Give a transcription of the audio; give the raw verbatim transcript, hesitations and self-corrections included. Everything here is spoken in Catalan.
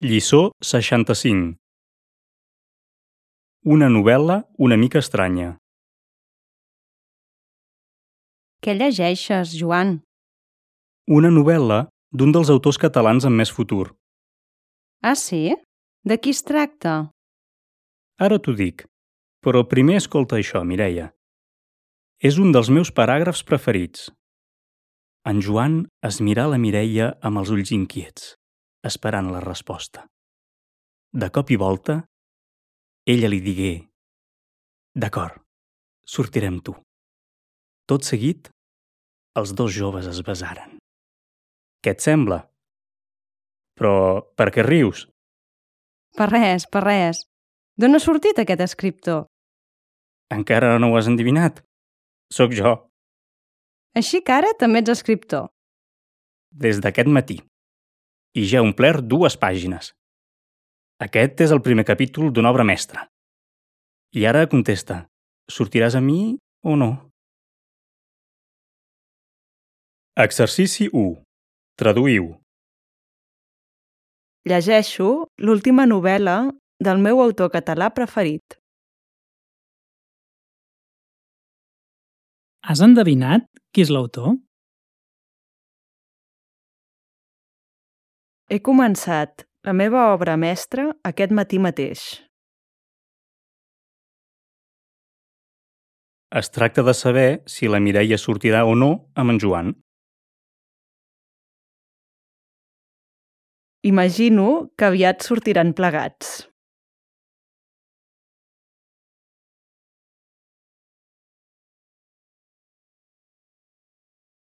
Lliçó seixanta-cinc. Una novel·la una mica estranya. Què llegeixes, Joan? Una novel·la d'un dels autors catalans amb més futur. Ah, sí? De qui es tracta? Ara t'ho dic, però primer escolta això, Mireia. És un dels meus paràgrafs preferits. En Joan es mirà la Mireia amb els ulls inquiets, esperant la resposta. De cop i volta, ella li digué: «D'acord, sortiré amb tu». Tot seguit, els dos joves es besaren. Què et sembla? Però per què rius? Per res, per res. D'on ha sortit aquest escriptor? Encara no ho has endevinat? Sóc jo, Així que ara també ets escriptor. des d'aquest matí. I ja he omplert dues pàgines. Aquest és el primer capítol d'una obra mestra. I ara contesta, sortiràs amb mi o no? Exercici u. Traduïu. Llegeixo l'última novel·la del meu autor català preferit. Has endevinat qui és l'autor? He començat la meva obra mestra aquest matí mateix. Es tracta de saber si la Mireia sortirà o no amb en Joan. Imagino que aviat sortiran plegats.